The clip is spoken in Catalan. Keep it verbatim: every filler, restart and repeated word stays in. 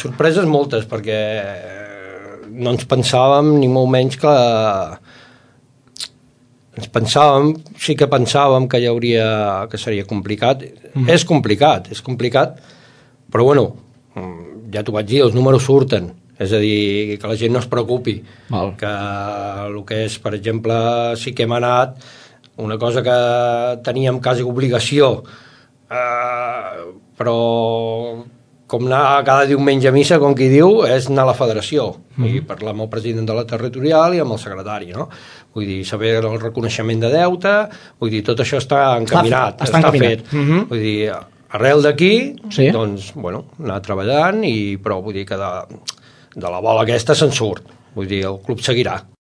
sorpreses moltes, perquè no ens pensàvem ni molt menys que... Ens pensàvem, sí que pensàvem que hi hauria... que seria complicat. Mm. És complicat, és complicat, però bueno, ja t'ho vaig dir, els números surten. És a dir, que la gent no es preocupi. Val. Que el que és, per exemple, sí que hem anat, una cosa que teníem quasi obligació, eh, però com anar cada diumenge a missa, com qui diu, és anar a la federació mm. i parlar amb el president de la territorial i amb el secretari, no? Vull dir, saber el reconeixement de deute, vull dir, tot això està encaminat, està, està, està encaminat. fet. Mm-hmm. Vull dir, arrel d'aquí, sí. doncs, bueno, anar treballant, i, però vull dir que de, de la bola aquesta se'n surt. Vull dir, el club seguirà.